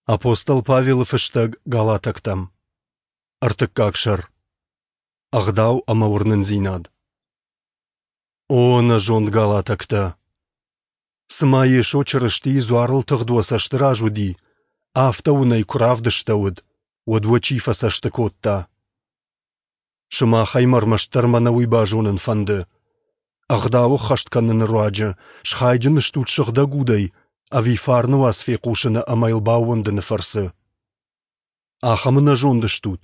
Апостол Павелы фыстӕг Галатӕгтӕм. Ӕртыккаг сӕр. Ӕгъдау ӕмӕ уырнындзинад. О, ӕнӕзонд галатӕгтӕ! Цыма Йесо Чырыстийы дзуарыл тыгъд уӕ цӕсты раз уыди, афтӕ уын ӕй куы равдыстӕуыд, уӕд уӕ чи фӕцӕсты кодта? Сымахӕй мӕ ӕрмӕстдӕр мӕнӕ уый базонын фӕнды. Ӕгъдау ӕххӕст кӕныны руаджы схайджын стут сыгъдӕг удӕй ӕви фарны уац фехъусыны ӕмӕ йыл баууӕндыны фӕрцы? Ахӕм ӕнӕзонд стут?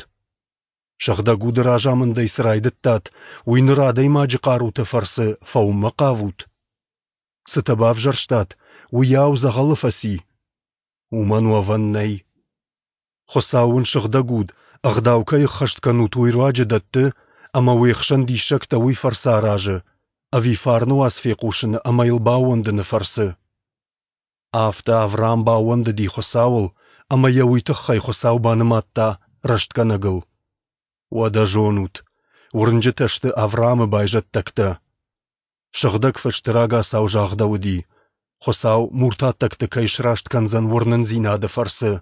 Сыгъдӕг уды разамындӕй цы райдыдтат, уый ныр адӕймаджы хъаруты фӕрцы фӕуынмӕ хъавут? Цытӕ бавзӕрстат, уыйау дзӕгъӕлы фӕци? Уымӕн уӕвӕн нӕй. Хуыцау уын сыгъдӕг уд, ӕгъдау кӕй ӕххӕст кӕнут, уый руаджы дӕтты, ӕмӕ уе хсӕн диссӕгтӕ уый фӕрцы аразы, ӕви фарны уац фехъусыны ӕмӕ йыл баууӕндыны фӕрцы? Афтӕ Авраам баууӕндыди Хуыцауыл, ӕмӕ йӕ уый тыххӕй Хуыцау банымадта рӕстгӕнӕгыл. Уӕдӕ зонут, уырнджытӕ сты Авраамы байзӕддӕгтӕ. Сыгъдӕг Фысты рагацау загъдӕуыди, Хуыцау муртаттӕгты кӕй сраст кӕндзӕн уырнындзинады фӕрцы.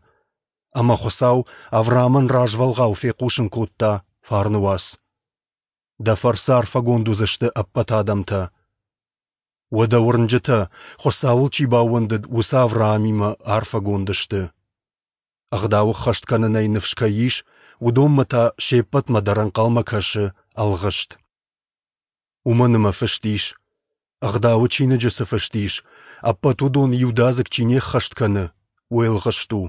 Ӕмӕ Хуыцау Авраамӕн развӕлгъау фехъусын кодта фарны уац. Дӕ фӕрцы арфӕгонд уыдзысты ӕппӕт адӕмтӕ. Уӕдӕ уырнджытӕ, Хуыцауыл чи баууӕндыд, уыцы Авраамимӕ арфӕгонд сты. Ӕгъдау ӕххӕст кӕнынӕй ныфс кӕй ис, уыдонмӕ та се ппӕтмӕ дӕр ӕнхъӕлмӕ кӕсы ӕлгъыст. Уымӕн ӕмӕ фыст ис, Ӕгъдауы чиныджы цы фыст ис, ӕппӕт уыдон иудадзыг чи не ххӕст кӕны, уый ӕлгъыст у.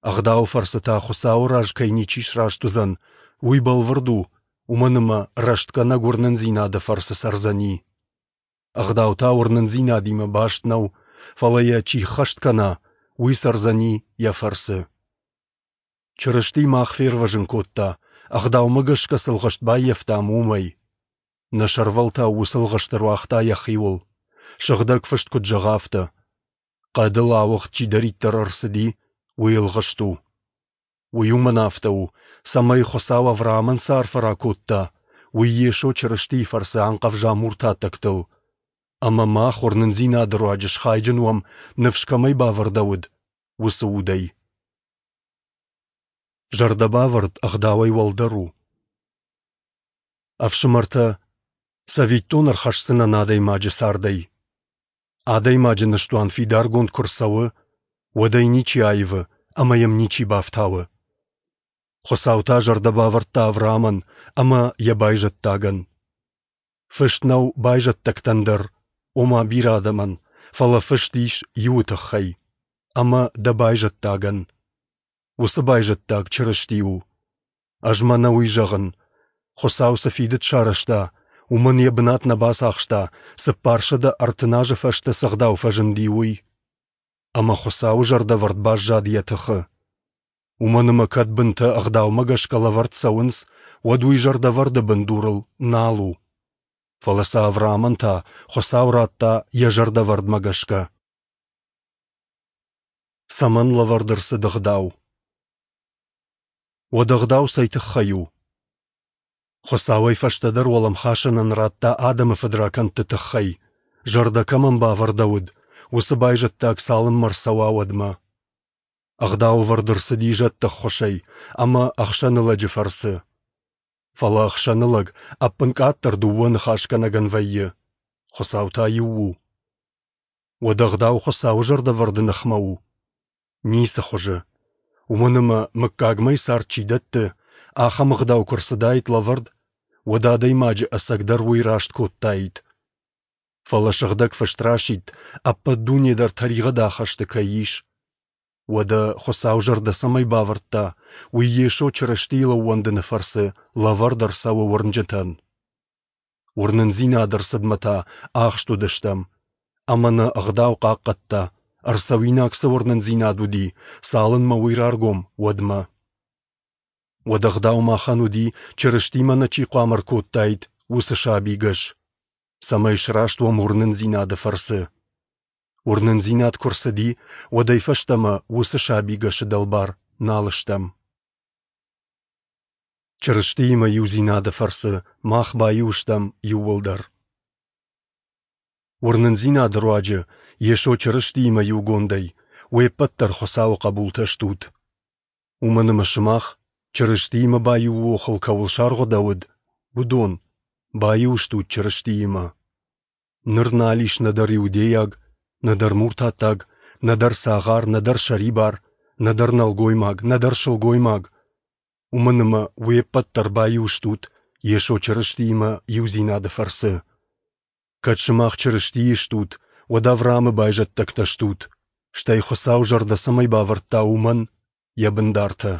Ӕгъдауы фӕрцы та Хуыцауы раз кӕй ничи сраст уыдзӕн, уый бӕлвырд у, уымӕн ӕмӕ рӕстгӕнӕг уырнындзинады фӕрцы цӕрдзӕни. Ӕгъдау та уырнындзинадимӕ баст нӕу, фӕлӕ йӕ чи ххӕст кӕна, уый цӕрдзӕни йӕ фӕрцы. Чырысти мах фервӕзын кодта, ӕгъдаумӕ гӕсгӕ цы лгъыст баййӕфтам, уымӕй. Нӕ сӕрвӕлтау уыцы лгъыст ӕруагъта йӕхиуыл. Сыгъдӕг фыст куыд зӕгъы, афтӕ. Хъӕдыл ауыгъд чидӕриддӕр ӕрцыди, уый ӕлгъыст у. Уый уымӕн афтӕ у, цӕмӕй Хуыцау Авраамӕн цы арфӕ ракодта, уый Йесо Чырыстийы фӕрцы анхъӕвза муртаттӕгтыл. Ӕмӕ мах уырнындзинады руаджы схайджын уӕм, ныфс кӕмӕй бавӕрдӕуыд, уыцы удӕй. Зӕрдӕбавӕрд ӕгъдауӕй уӕлдӕр у. Ӕфсымӕртӕ, цӕвиттон ӕрхӕсдзынӕн адӕймаджы цардӕй. Адӕймаджы ныстуан фидаргонд куы рцӕуы, уӕд ӕй ничи аивы ӕмӕ йӕм ничи бафтауы. Хуыцау та зӕрдӕ бавӕрдта Авраамӕн ӕмӕ йӕ байзӕддагӕн. Фыст нӕу байзӕддӕгтӕн дӕр, ома бирӕ адӕмӕн, фӕлӕ фыст ис иуы тыххӕй ӕмӕ дӕ байзӕддагӕн. Уыцы байзӕддаг Чырысти у. Ӕз мӕнӕ уый зӕгъын: Хуыцау цы фидыд сарӕзта, уымӕн йӕ бынат нӕ бацахста, 430 азы фӕстӕ цы ӕгъдау фӕзынди, уый. Ӕмӕ Хуыцауы зӕрдӕвӕрд баззад йӕ тыхы. Уымӕн ӕмӕ кӕд бынтӕ ӕгъдаумӕ гӕсгӕ лӕвӕрд цӕуынц, уӕд уый зӕрдӕвӕрды бындурыл нал у. Фӕлӕ сӕ Авраамӕн та Хуыцау радта йӕ зӕрдӕвӕрдмӕ гӕсгӕ. Цӕмӕн лӕвӕрд ӕрцыд ӕгъдау? Уӕд ӕгъдау цӕй тыххӕй у? Хуыцауӕй фӕстӕдӕр уӕлӕмхасӕнӕн радта адӕмы фыдракӕндты тыххӕй, зӕрдӕ кӕмӕн бавӕрдӕуыд, уыцы байзӕддаг цалынмӕ рцӕуа, уӕдмӕ. Ӕгъдау ӕвӕрд ӕрцыди зӕдты ӕххуысӕй ӕмӕ ӕхсӕнылӕджы фӕрцы. Фӕлӕ ӕхсӕнылӕг ӕппынкъаддӕр дыууӕ ныхасгӕнӕгӕн вӕййы, Хуыцау та иу у. Уӕд ӕгъдау Хуыцауы зӕрдӕвӕрды ныхмӕ у? Ницы хуызы. Уымӕн ӕмӕ мыггагмӕ цард чи дӕтты, ахӕм ӕгъдау куы рцыдаид лӕвӕрд, уӕд адӕймаджы ӕцӕгдӕр уый раст кодтаид. Фӕлӕ Сыгъдӕг Фыст расидт, ӕппӕт дуне дӕр тӕригъӕды ахӕсты кӕй ис. Уӕдӕ Хуыцау зӕрдӕ цӕмӕй бавӕрдта, уый Йесо Чырыстийыл ӕууӕндыны фӕрцы лӕвӕрд ӕрцӕуы уырнджытӕн. Уырнындзинады ӕрцыдмӕ та ахст уыдыстӕм, ӕмӕ нӕ ӕгъдау хъахъхъӕдта, ӕрцӕуинаг цы уырнындзинад уыди, цалынмӕ уый раргом, уӕдмӕ. Уӕд ӕгъдау махӕн уыди, Чырыстимӕ нӕ чи хъуамӕ ӕркодтаид, уыцы сабигӕс, цӕмӕй сраст уӕм уырнындзинады фӕрцы. Уырнындзинад куы рцыди, уӕдӕй фӕстӕмӕ уыцы сабигӕсы дӕлбар нал стӕм. Чырыстиимӕ иудзинады фӕрцы мах баиу стӕм иууылдӕр. Уырнындзинады руаджы Йесо Чырыстиимӕ иугондӕй, Уе ппӕт дӕр Хуыцауы хъӕбултӕ стут. Уымӕн ӕмӕ сымах, Чырыстиимӕ баиуы охыл кӕуыл саргъуыдӕуыд, уыдон, баиу стут Чырыстиимӕ. Ныр нал ис нӕдӕр иудейаг, нӕдӕр муртаттаг, нӕдӕр цагъар, нӕдӕр сӕрибар, нӕдӕр нӕлгоймаг, нӕдӕр сылгоймаг, уымӕн ӕмӕ уе ппӕт дӕр баиу стут Йесо Чырыстиимӕ иудзинады фӕрцы. Кӕд сымах Чырыстийы стут, уӕд Авраамы байзӕддӕгтӕ стут, стӕй Хуыцау зӕрдӕ цӕмӕй бавӕрдта, уымӕн йӕ бындартӕ.